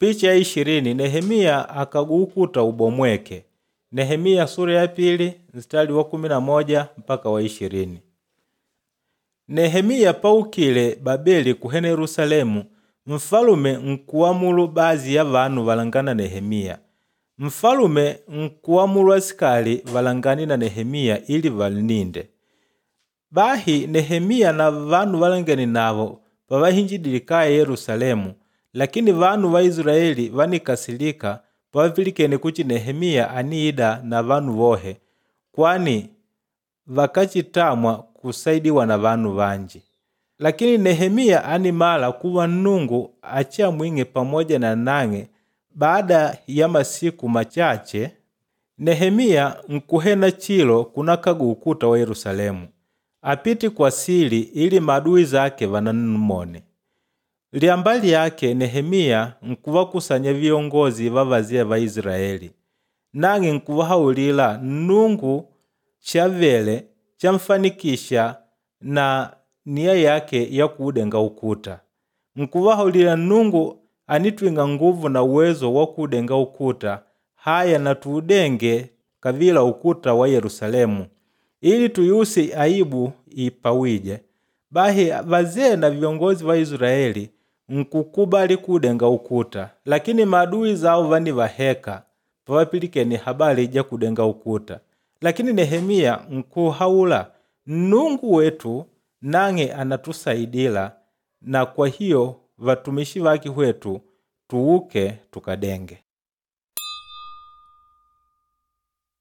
Picha ya 20 Nehemiya akaguukuta ubomweke. Nehemiya sura ya pili mstari wa 11 mpaka wa 20. Nehemiya paukile Babeli kuhena Yerusalemu, mfalume nkuamulu baadhi ya vanu valangana Nehemiya. Mfalume nkuamulu asikali valangane na Nehemiya ili valninde. Bahi Nehemiya na vanu valangene navo pavahinjidile kaya Yerusalemu, lakini vanu va Israeli vánikasirika pavapilikene kuchi Nehemiya aniida na vanu vohe, kwani vakáchitamwa kusaidiwa na vanu vanji. Lakini Nehemiya ánimala kuva Nnungu achiamwing'e pamoja na nang'e. Baada ya masiku machache, Nehemiya nkuhena chilo kunakaga ukuta wa Yerusalemu. Apite kwa sili ili maadui zake vanammone. Liamba lyake Nehemiya nkuvakusanya viongozi va vazee va Israeli. Nang'e nkuvahaulila Nnungu chavele chamfanikisha na nia yake ya kuudenga ukuta. Nkuvahaulila Nnungu anitwing'a nguvu na uwezo wa kuudenga ukuta, haya na tuudenge kavila ukuta wa Yerusalemu ili tuyuse aibu ipawije. Bahi vazee na viongozi va Israeli nkukubali kuudenga ukuta, lakini maadui zao vanivaheka pavapilikene habari ja kudenga ukuta. Lakini Nehemiya nkuhaula Nnungu wetu nang'e anatusaidila na kwa hiyo vatumishi vake hwetu tuuke tukadenge.